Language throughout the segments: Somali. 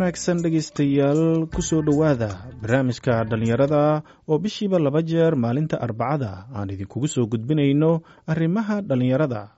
Wanaagsan dhegaystayaal, kusoo dhowaada barnaamijka dhallinyarada oo bishiiba laba jeer maalinta Arbacada aan idinkugu soo gudbinayno arrimaha dhallinyarada.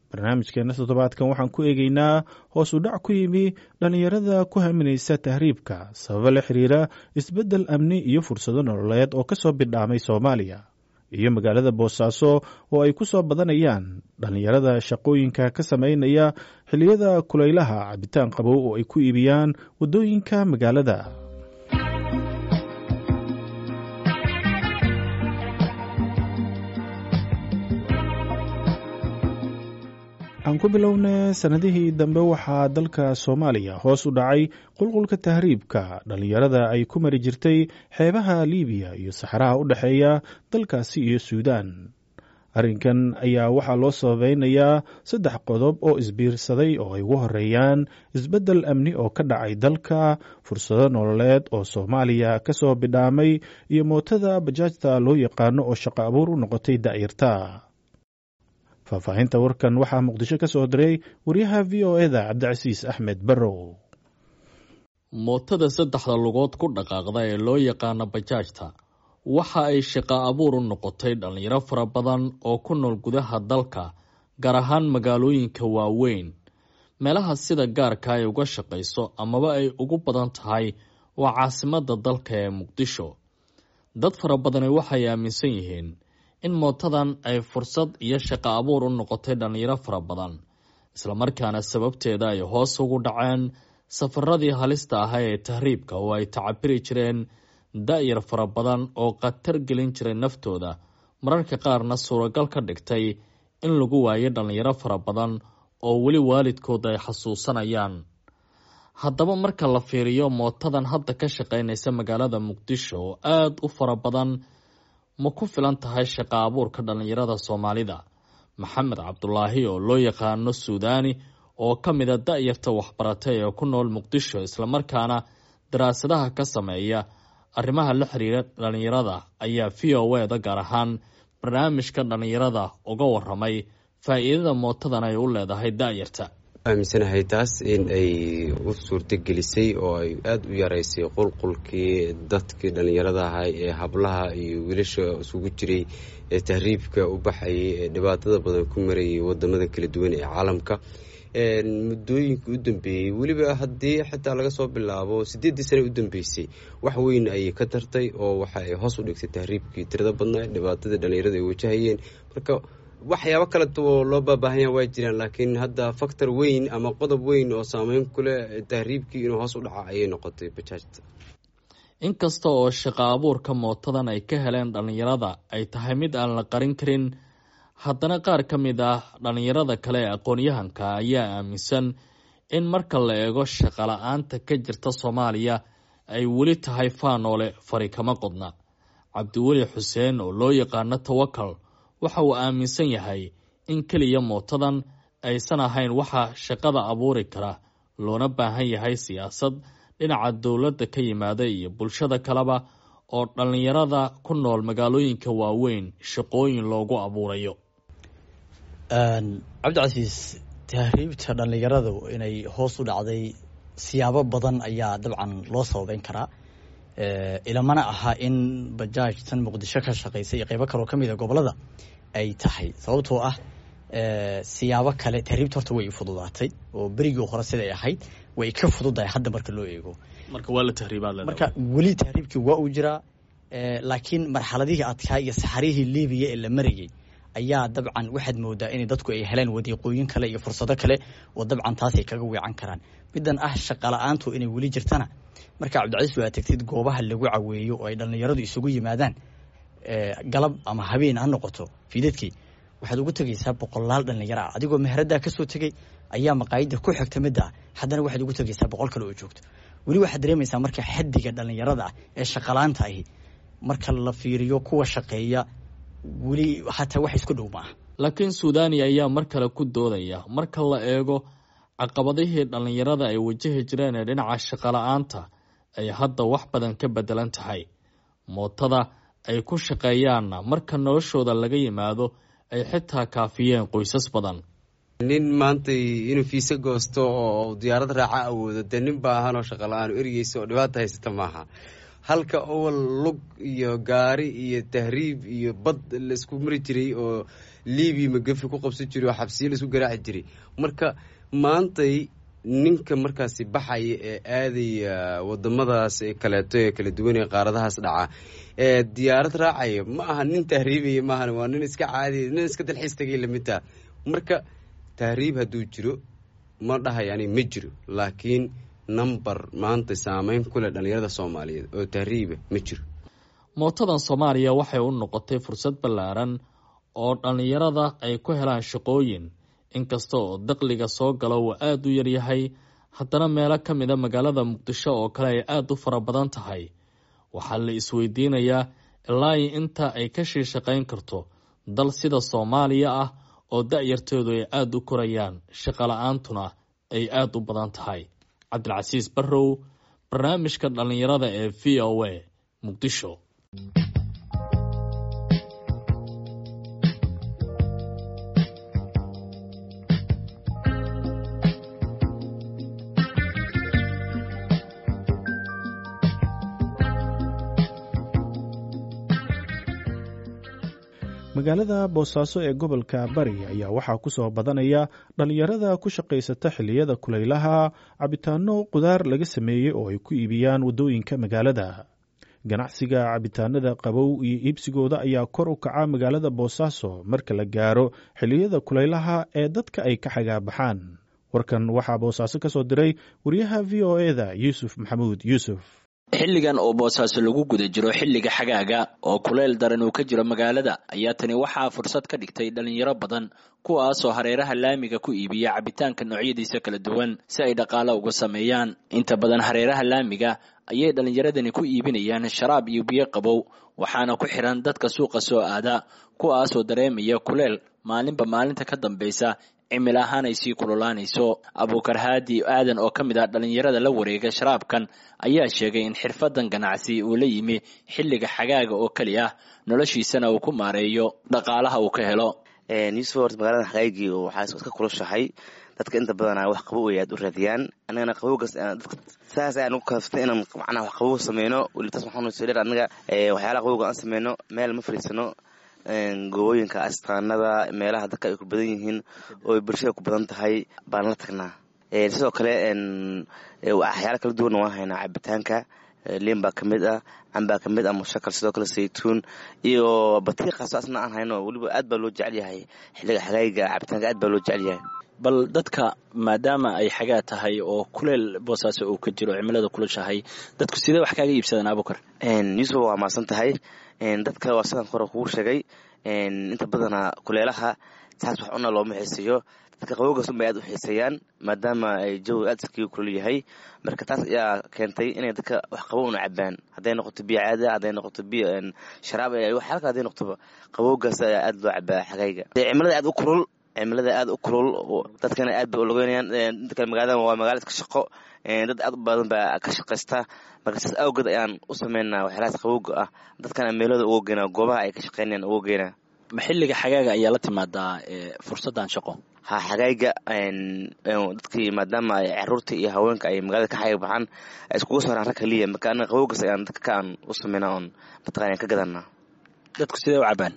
Barnaamijkeenna toddobaadkan waxaan ku eegaynaa hoos u dhac ku yimi dhallinyarada ku haminaysa tahriibka sababo la xiriira isbeddel amni iyo fursado nololeed oo ka soo bidhaamay Soomaaliya, iyo magaalada Boosaaso oo ay ku soo badanayaan dhallinyarada shaqooyinka ka samaynaya xilliyada kulaylaha cabitaan qabow oo ay ku iibiyaan waddooyinka magaalada. Aan ku bilowna, sannadihii dambe waxaa dalka Soomaaliya hoos u dhacay qulqulka tahriibka dhallinyarada ay ku mari jirtay xeebaha Liibiya iyo saxaraha u dhexeeya dalkaasi iyo Suudaan. Arrinkan ayaa waxaa loo sababeynayaa saddex qodob oo isbiirsaday, oo ay ugu horeeyaan isbeddel amni oo ka dhacay dalka, fursado nololeed oo Soomaaliya ka soo bidhaamay, iyo mootada bajaajta loo yaqaano oo shaqo abuur u noqotay da'yarta. Faahfaahinta warkan waxaa Muqdisho ka soo diray wariyaha VOA-da, Cabdicasiis Axmed Barrow. Mootada saddexda lugood ku dhaqaaqda ee loo yaqaano bajaajta waxa ay shaqo abuur u noqotay dhallinyaro fara badan oo ku nool gudaha dalka, gaar ahaan magaalooyinka waaweyn. Meelaha sida gaarka ay uga shaqayso amaba ay ugu badan tahay waa caasimadda dalka ee Muqdisho. Dad fara badani waxay aaminsan yihiin in mootadan ay fursad iyo shaqo abuur u noqotay dhallinyaro fara badan, islamarkaana sababteeda ay hoos ugu dhaceen safaradii halista ahaa ee tahriibka oo ay tacabiri jireen da-yar fara badan oo khatar gelin jiray naftooda, mararka qaarna suuragal ka dhigtay in lagu waayo dhallinyaro fara badan oo weli waalidkood ay xasuusanayaan. Haddaba marka la fiiriyo mootadan hadda ka shaqaynaysa magaalada Muqdisho oo aada u fara badan, ma ku filan tahay shaqo abuurka dhallinyarada Soomaalida? Maxamed Cabdulaahi oo loo yaqaano Suudaani, oo ka mida da-yarta waxbaratay ee ku nool Muqdisho, islamarkaana daraasadaha ka sameeya arrimaha la xiriira dhallinyarada, ayaa VOA-da, gaar ahaan barnaamijka dhallinyarada, uga waramay faa'iidada mootadan ay u leedahay da-yarta. Aaminsanahay taas in ay u suurtagelisay oo ay aada u yaraysay qulqulkii dadkii dhallinyarada ahay ee hablaha iyo wiilasha isugu jiray ee tahriibka u baxayay ee dhibaatada badan ku marayay wadamada kala duwan ee caalamka muddooyinka u dambeeyey. Weliba haddii xitaa laga soo bilaabo 8-dii sane u dambeysay, wax weyn ayay ka tartay oo waxa ay hoos u dhigtay tahriibkii tirada badnaa, dhibaatadii dhallinyarada ay wajahayeen. Marka waxyaabo kaleto oo loo baabaahanya waa jiraan, laakiin hadda factor weyn ama qodob weyn oo saameyn ku leh tahriibkii inuu hoos u dhaca ayay noqotay bajaajta. Inkasta oo shaqo abuurka mootadan ay ka heleen dhallinyarada ay tahay mid aan la qarin karin, haddana qaar ka mid ah dhallinyarada kale ee aqoon-yahanka ayaa aaminsan in marka la eego shaqo la-aanta ka jirta Soomaaliya ay weli tahay faanoole fari kama qodna. Cabdiweli Xuseen oo loo yaqaano Tawakal waxa uu aaminsan yahay in keliya mootadan aysan ahayn waxa shaqada abuuri kara, loona baahan yahay siyaasad dhinaca dowladda ka yimaada iyo bulshada kaleba oo dhallinyarada ku nool magaalooyinka waaweyn shaqooyin loogu abuurayo. Cabdicasiis, tahriibta dhallinyaradu inay hoos u dhacday siyaabo badan ayaa dabcan loo sababeyn karaa. Ilamana aha in bajaaj tan Muqdisho ka shaqeysa iyo qeybo kaloo kamid a gobolada ay tahay, sababtoo ah siyaabo kale tahriibta horta way fududaatay oo berigii hore siday ahayd way ka fududahay hadda marka loo eego. Marka waa la tahriibaad? Marka weli tahriibkii waa uu jiraa, laakiin marxaladihii adkaa iyo saxarihii Libiya ee la marayay ayaa dabcan waxaad moodaa inay dadku ay heleen wadiiqooyin kale iyo fursado kale oo dabcan taas ay kaga weecan karaan. Middan ah shaqa la-aantu inay weli jirtana, marka Cabdicasiis waa tagtid goobaha lagu caweeyo oo ay dhallinyaradu isugu yimaadaan galab ama habeen ha noqoto fiidadkii, waxaad ugu tegaysaa boqolaal dhallinyaro ah. Adigoo meheraddaa kasoo tegey ayaa maqaayadda ku xigta midda ah, haddana waxaad ugu tegaysaa 100 kale oo joogto. Weli waxaad dareemaysaa marka xaddiga dhallinyarada ah ee shaqalaanta ahi marka la fiiriyo kuwa shaqeeya weli xataa wax isku dhow maaha. Laakiin Suudani ayaa mar kale ku doodaya marka la eego caqabadihii dhallinyarada ay wajahi jireen ee dhinaca shaqola-aanta ay hadda wax badan ka beddelan tahay, mootada ay ku shaqeeyaanna marka noloshooda laga yimaado ay xitaa kaafiyeen qoysas badan. Nin maanta inuu fiise goosto oo diyaarad raaca awoodo, dee nin baahanoo shaqa la-aan ergeysa oo dhibaata haysata maaha. Halka owal lug iyo gaari iyo tahriib iyo bad laisku mari jiray oo Libiya magafi ku qabsan jiray oo xabsiyo laisku garaaci jiray. Marka maantay ninka markaasi baxaya ee aadaya wadamadaas kaleeto ee kala duwan ee qaaradahaas dhaca ee diyaarad raacaya ma aha nin tahriibaya, maahan, waa nin iska caadiya, nin iska dalxiis tagay lamidtaa. Marka tahriib hadduu jiro ma dhahay ani ma jiro, laakiin number maanta saameyn ku leh dhalinyarada Soomaaliyeed oo tahriiba ma jiro. Mootadan Soomaaliya waxay u noqotay fursad ballaaran oo dhallinyarada ay ku helaan shaqooyin. Inkasta oo daqliga soo gala uu aada u yaryahay, haddana meelo ka mida magaalada Muqdisho oo kale ay aada u fara badan tahay. Waxaa la isweydiinayaa ilaa inta ay ka shii shaqayn karto dal sida Soomaaliya ah oo da-yarteedu ay aada u korayaan, shaqo la-aantuna ay aada u badan tahay. Cabdilcasiis Barrow, barnaamijka dhallinyarada ee VOA, Muqdisho. Magaalada Boosaaso ee gobolka Bari ayaa waxaa ku soo badanaya dhalinyarada ku shaqaysata xilliyada kulaylaha cabitaano qudaar laga sameeyey oo ay ku iibiyaan waddooyinka magaalada. Ganacsiga cabitaanada qabow iyo iibsigooda ayaa kor u kaca magaalada Boosaaso marka la gaaro xilliyada kulaylaha ee dadka ay ka xagaabaxaan. Warkan waxaa Boosaaso ka soo diray wariyaha VOA-da Yuusuf Maxamuud Yuusuf. Xilligan oo Boosaaso lagu guda jiro xilliga xagaaga oo kuleyl daran uu ka jiro magaalada ayaa tani waxaa fursad ka dhigtay dhalinyaro badan, kuwaasoo hareeraha laamiga ku iibiya cabitaanka noocyadiisa kala duwan si ay dhaqaale uga sameeyaan. Inta badan hareeraha laamiga ayay dhallinyaradani ku iibinayaan sharaab iyo biyo qabow, waxaana ku xiran dadka suuqa soo aada, kuwaasoo dareemaya kuleyl maalinba maalinta ka dambaysa cimil ahaan ay sii kululaanayso. Abuukar Haadi Aadan oo ka mid ah dhallinyarada la wareega sharaabkan ayaa sheegay in xirfadan ganacsi uu la yimi xilliga xagaaga oo keli ah, noloshiisana uu ku maareeyo dhaqaalaha uu ka helo. Yuusuf, horta magaalada xagaygii waxaa iska kulushahay, dadka inta badanaa wax qabow ay aad u raadiyaan. Annagana qabowgaas dadka saas ayaan ugu kaaftay inaan macnaha wax qabow sameyno. Weli taas waxaanu soo dheer annaga waxyaalaha qabowga aan sameyno meel ma fadhiisano, goobooyinka astaanada meelaha dadka ay ku badan yihiin oo bulshada ku badan tahay baan la tagnaa. Sidoo kale waxyaala kala duwanna waan haynaa. Cabitaanka liin baa kamid ah, cambaa kamid ah, mushakal, sidoo kale saytuun iyo batiiqaasoo asna aan hayno. Weliba aad baa loo jecel yahay xilliga xagaayiga, cabitaanka aad baa loo jecel yahay. Bal dadka maadaama ay xagaa tahay oo kuleyl Boosaaso uu ka jiro, cimilada kulushahay, dadku sidee wax kaaga iibsadaan, Abuukar? Yuusuf, waa mahadsan tahay. Dadka waa sidaan hore kugu sheegay, inta badanaa kuleelaha saas wax cuna looma xiiseeyo. Dadka qabowgaas unbay aad u xiiseeyaan maadaama ay jawiga aad iskaga kulul yahay. Marka taas ayaa keentay inay dadka wax qabow una cabaan, hadday noqoto biyo caadi, hadday noqoto biyo sharaab, waxyaala kale hadday noqotoba, qabowgaas ayaa aad loo cabaa xagayga. Cimilada aad u kulul, cimilada aad u kulul, dadkana aad bay ulogeynayaan. Inta kale magaalada waa magaalo iska shaqo, dad aad u badan baa ka shaqaysta. Marka saas awgeed ayaan u sameynaa waxyaalahaas qabowga ah, dadkana meelooda uga geynaa, goobaha ay ka shaqeynayaan uga geynaa. Ma xilliga xagaaga ayaa la timaadaa fursaddan shaqo? Ha, xagayga dadkii maadaama ay caruurta iyo haweenka ay magaalada ka xaga baxaan ay iskugu saaraan rag kaliya. Marka anaga qabowgaas ayaan dadka ka aan u sameynaa oon mataqaana ka gadanaa. Dadku sidee u cabaan?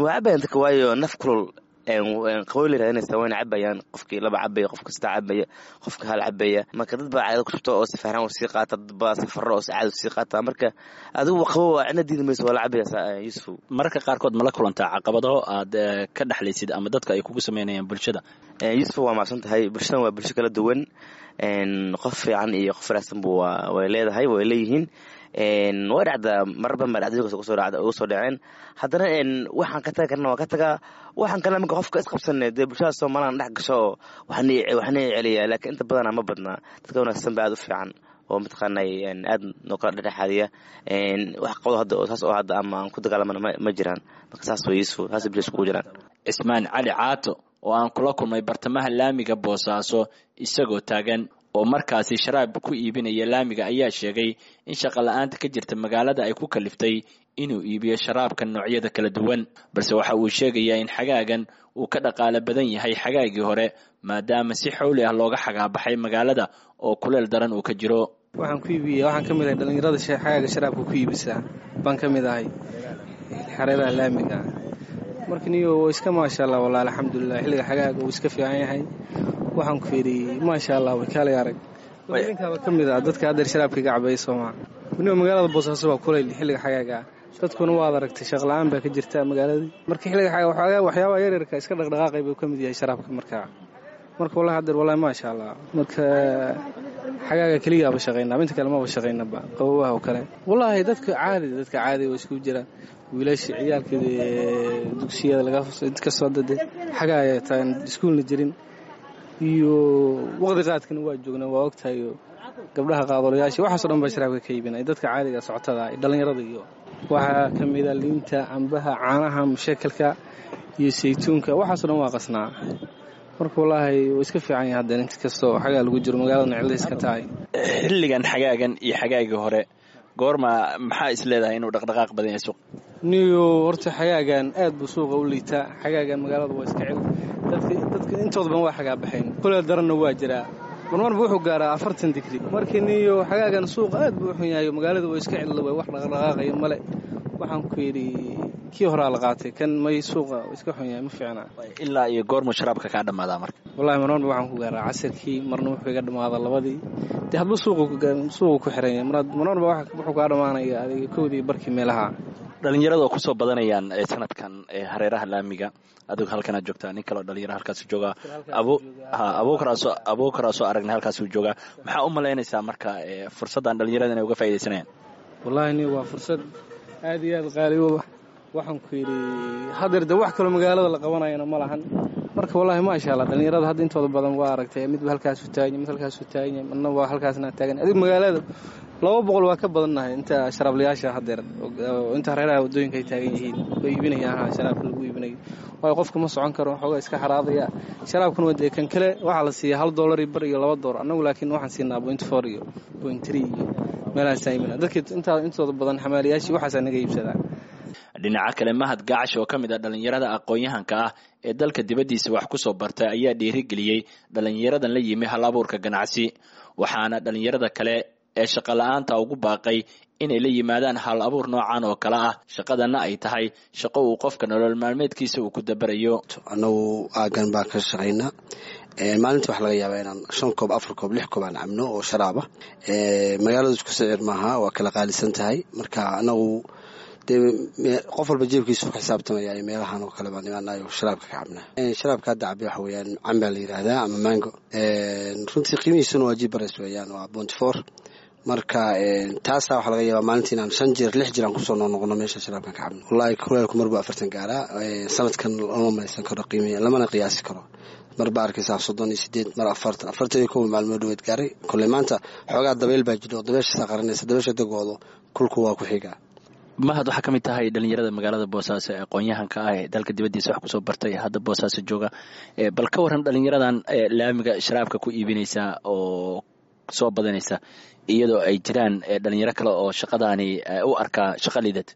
Waa cabayaan dadka, waayo naf kulul qabow la raadinaysa, wayna cabayaan. Qofkii laba cabaya, qofka saddex cabaya, qofka hal cabaya. Marka dad baa caadada ku shubta oo safaaraan oo sii qaata, dad baa safarro oo caada sii qaata. Marka adigu qabow waa cidna diidi mayso, waa la cabaya Yuusuf. Mararka qaarkood ma la kulantaa caqabado aad ka dhexlaysid ama dadka ay kugu sameynayaan bulshada? Yuusuf, waa mahadsan tahay. Bulshadan waa bulsho kala duwan, qof fiican iyo qof wanaagsanbu way leedahay, way leeyihiin. Way dhacdaa mararba ma dhacdooyinkaas ugu soo dhaceen. Haddana waxaan ka tagi karna waan ka tagaa, waxaan kale marka qofka isqabsanay dee bulshada Soomaaliyan dhex gasho oo waxna celiyaa. Laakiin inta badanaa ma badnaa, dadka wanaagsan ba aad u fiican oo mataqaanay aad noo kala dhexdhexaadiya. Wax qabdo hadda oo saas oo hadda ama aan ku dagaalamana ma jiraan. Marka saas way Yuusuf, saas bulshada iskugu jiraan. Cismaan Cali Caato oo aan kula kulmay bartamaha laamiga Boosaaso isagoo taagan oo markaasi sharaab ku iibinaya laamiga ayaa sheegay in shaqo la-aanta ka jirta magaalada ay ku kaliftay inuu iibiyo sharaabka noocyada kala duwan, balse waxa uu sheegayaa in xagaagan uu ka dhaqaale badan yahay xagaagii hore, maadaama si xowli ah looga xagaabaxay magaalada oo kuleel daran uu ka jiro. Waxaan ku iibiya, waxaan ka mid ahay dhallinyarada xagaaga sharaabka ku iibisaa baan ka mid ahay xareeraha laamiga. Marka niyo waa iska maasha Allah, walahi alxamdulilah, xilliga xagaaga uu iska fiican yahay. Waxaan ku yidhi maasha Allah, way kaalay arag ninkaaba ka mid ah dadka haddeer sharaabka iga cabaya soomaa. Niyo magaalada Boosaaso waa kulayl xilliga xagaaga, dadkuna waad aragtay shaqla-aan baa ka jirta magaaladii. Marka xilliga xagaaga waxyaabaha yaryarka iska dhaqdhaqaaqay buu ka mid yahay sharaabka. Marka wallahi haddeer wallahi maasha Allah, marka xagaaga keliyaaba shaqaynaa, inta kale maba shaqaynaba, qabowaha oo kale. Wallaahi dadka caadi way isku jiraan, wiilasha ciyaalka dugsiyada laga inkastoo hadda dee xagaaya taan iskuulna jirin iyo waqti qaadkana waa joognaa, waa ogtahay gabdhaha qaadolayaasha waxaasoo dhan baa sharaabka ka iibinay, dadka caadiga socotada, dhallinyarada. Iyo waxaa ka mid a liinta, cambaha, caanaha mushakalka iyo saytuunka, waxaasoo dhan waa qasnaa. Marka wallaahi wuu iska fiican yahay haddeen inkastoo xagaa lagu jiro, magaaladana cilda iska tahay. Xilligan xagaagan iyo xagaagii hore goorma maxaa is leedahay inuu dhaqdhaqaaq badan yahay suuq? Niyo horta xagaagan aad buu suuqa u liitaa. Xagaagan magaalada waa iska cil, dadka intooda badan waa xagaa baxayn, kuleel daranna waa jiraa, marmarba wuxuu gaaraa 40 digri. Markii niyo xagaagan suuqa aad buu u xun yahay, magaalada waa iska cilda, way wax dhaqdhaqaaqaya male. Waxaan ku yidhi kii horaa la qaatay kan may, suuqa iska xun yahay, ma fiicna. Ilaa iyo goormuu sharaabka kaa dhammaadaa marka? Wallahi marmarba waxaan ku gaaraa casirkii, marna wuxuu iga dhammaadaa 2dii, dee hadba suuqu ku xiran yahay. Marmarba wuxuu kaa dhammaanaya adiga 1dii barkii meelaha. Dhalinyarada oo kusoo badanayaan sanadkan hareeraha laamiga, adigu halkanaad joogtaa, nin kaleo dhalinyaro halkaasuu joogaa, abuukaraasoo aragnay halkaasuu joogaa. Maxaa u malaynaysaa marka fursaddan dhalinyarada inay uga faaidaysanayaan? Wallahi ni waa fursad aad iyo aad qaali u ah. Waxaan ku yidhi haddeer de wax kaloo magaalada la qabanayana ma lahan. Marka wallahi maasha Allah, dhalinyarada hadda intooda badan waa aragtay, midba halkaasuu taaganya, mid halkaasuu taaganya, midna waa halkaasna taagan. Adigu magaalada 200 waa ka badannahay inta sharaablayaasha haddeer inta hareeraha waddooyinka ay taagan yihiin way iibinayaan sharaabka lagu iibinayo, waayo qofka ma socon karo, waxoogaa iska xaraadaya. Sharaabkuna waa dee kan kale waxaa la siiya $1 iyo bar iyo $2, annagu laakiin waxaan siinaa 0.4 iyo 0.3 iyo meelahaasaan iibinaa. Dadka intooda badan xamaaliyaashii waxaasaa naga iibsadaa. Dhinaca kale, Mahad Gacash oo ka mid ah dhallinyarada aqoon-yahanka ah ee dalka dibaddiisa wax ku soo bartay ayaa dhiirigeliyey dhallinyaradan la yimi hal abuurka ganacsi, waxaana dhallinyarada kale ee shaqo la-aanta ugu baaqay inay la yimaadaan hal abuur noocan oo kale ah, shaqadana ay tahay shaqo uu qofka nolol maalmeedkiisa uu ku dabarayo. Annagu aagan baan ka shaqaynaa. Maalintii waxaa laga yaabaa inaan 5 koob, 4 koob, 6 koob aan cabno oo sharaaba. Magaaladu isku sicir maaha, waa kala qaalisan tahay. Marka anagu dee qof walba jeebkiisu ka xisaabtamaya, meelahan oo kale baan imaanayo sharaabka ka cabnaa. Sharaabka hadda cabay waxa weeyaan cambaa la yidhaahdaa ama mango, runtii qiimihiisuna waa jibares weeyaan, waa 0.4. Marka taasaa waxaa laga yaabaa maalintii inaan 5 jeer 6 jeer aan kusoo noqnoqono meesha sharaabkan ka cabno. Wallahi kuleelku marbuu 40 gaaraa sanadkan, lama malaysan karo qiimi, lamana qiyaasi karo. Mar baa arkaysaa 38, mar 40, 41 maalmood dhaweed gaaray. Kolley maanta xoogaa dabeyl baa jiro, dabeeshasaa qaranaysa, dabeesha dagoodo kulku waa ku xigaa. Mahad, waxaa ka mid tahay dhalinyarada magaalada Boosaaso ee aqoon-yahanka ah ee dalka dibaddiisa wax kusoo bartay, hadda Boosaaso jooga. Bal ka warran dhalinyaradan laamiga sharaabka ku iibinaysa oo soo badanaysa, iyadoo ay jiraan dhalinyaro kale oo shaqadaani u arkaa shaqa liidad?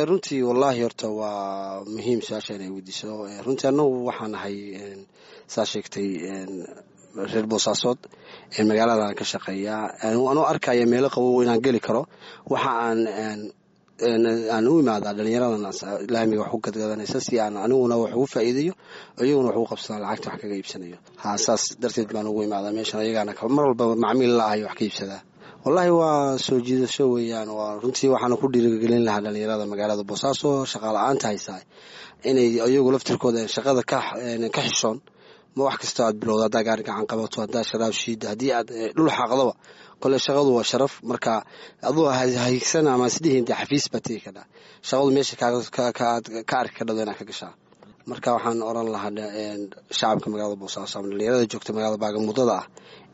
Runtii wallaahi horta waa muhiim su-aasha inay weydiiso. Runtii annagu waxaan ahay, saa sheegtay, reer Boosaasood, magaaladan ka shaqeeyaa. Anoo arkaya meelo qabow inaan geli karo, waxa aan u imaadaa dhalinyaradan laamiga wax ku gadgadanaysa si aan aniguna wax ugu faa'iidayo, iyaguna wax ugu qabsadaan, lacagta wax kaga iibsanayo. Ha, saas darteed baan ugu imaadaa meeshan, ayagaana mar walba macmiil la ahay wax ka iibsadaa. Wallaahi waa soo jiidasho weeyaan. Waa runtii waxaana ku dhiirigelin lahaa dhalinyarada magaalada Boosaaso shaqa la-aanta haysaa inay iyagu laftirkooda shaqada ka xishoon. Ma wax kastoo aad bilowda, haddaa gaari gacan qabato, haddaa sharaab shiida, haddii aad dhul xaaqdaba, kole shaqadu waa sharaf. Marka aduu haigsan ama isdhihin dee xafiis baa tegi kadhaa, shaqadu meesha ka arki kadhado inaad ka gashaa. Marka waxaan oran lahaa shacabka magaalada Boosaaso ama dhalinyarada joogta magaalada baagamudada ah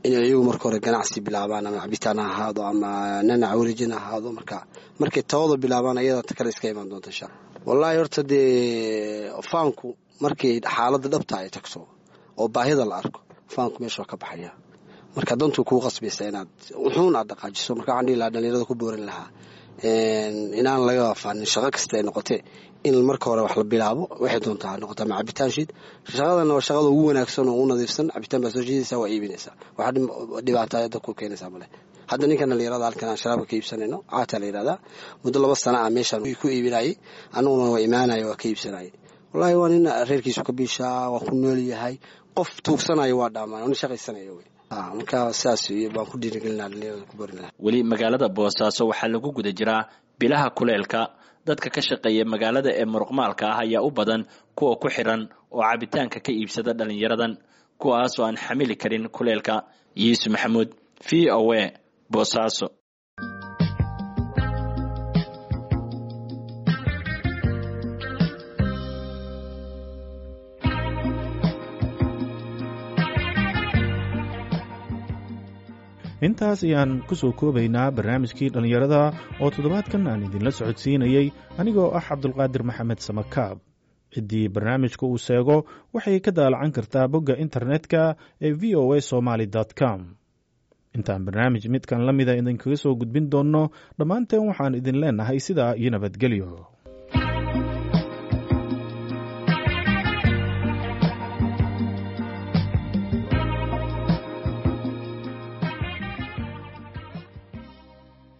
inay iyagu marka hore ganacsi bilaabaan, ama cabitaan ha ahaado ama nanac wareejin ha ahaado. Marka markay tawada bilaabaan, ayada ta kale iska imaan doonta insha alla. Wallaahi horta dee faanku markay xaaladda dhabta ay tagto oo baahida la arko, faanku meesha waa ka baxaya. Marka dantuu kuu qasbaysa inaad wuxuun aad dhaqaajiso. Marka waxaan dhihi lahaa dhalinyarada ku boorin lahaa Inaan laga faanin shaqo kasta ay noqotee, in marka hore wax la bilaabo, waxay doontaa ha noqotaa ma cabitaan shiid. Shaqadana waa shaqada ugu wanaagsan oo ugu nadiifsan. Cabitaan baa soo shiidaysaa, waa iibinaysaa, waxaa dhibaata dadku keenaysaa male. Hadda ninkan dhalinyarada halkan aan sharaabka ka iibsanayno, Caataa la yidhahdaa, muddo 2 sana ah meeshaan ku iibinayay, annaguna waa imaanaya, waa ka iibsanayay. Wallaahi waa nin reerkiisu ka biishaa, waa ku nool yahay. Qof tuugsanayo waa dhaamaan, nin shaqaysanaya wey. Marka sidaas baan ku dhiirigelinaa dhalinyarada, ku barin lahaa. Weli magaalada Boosaaso waxaa lagu guda jiraa bilaha kuleelka. Dadka ka shaqeeya magaalada ee muruqmaalka ah ayaa u badan kuwa ku xiran oo cabitaanka ka iibsada dhalinyaradan, kuwaas oo aan xamili karin kuleelka. Yuusuf Maxamuud, VOA, Boosaaso. Intaas ayaan ku soo koobaynaa barnaamijkii dhallinyarada oo toddobaadkan aan idinla socodsiinayey anigoo ah Cabdulqaadir Maxamed Samakaab. Ciddii barnaamijka uu seego waxay ka daalacan kartaa bogga internetka ee voa somaly com. Intaan barnaamij midkan la mida idinkaga soo gudbin doonno, dhammaanteen waxaan idin leenahay sidaa iyo nabadgelyo.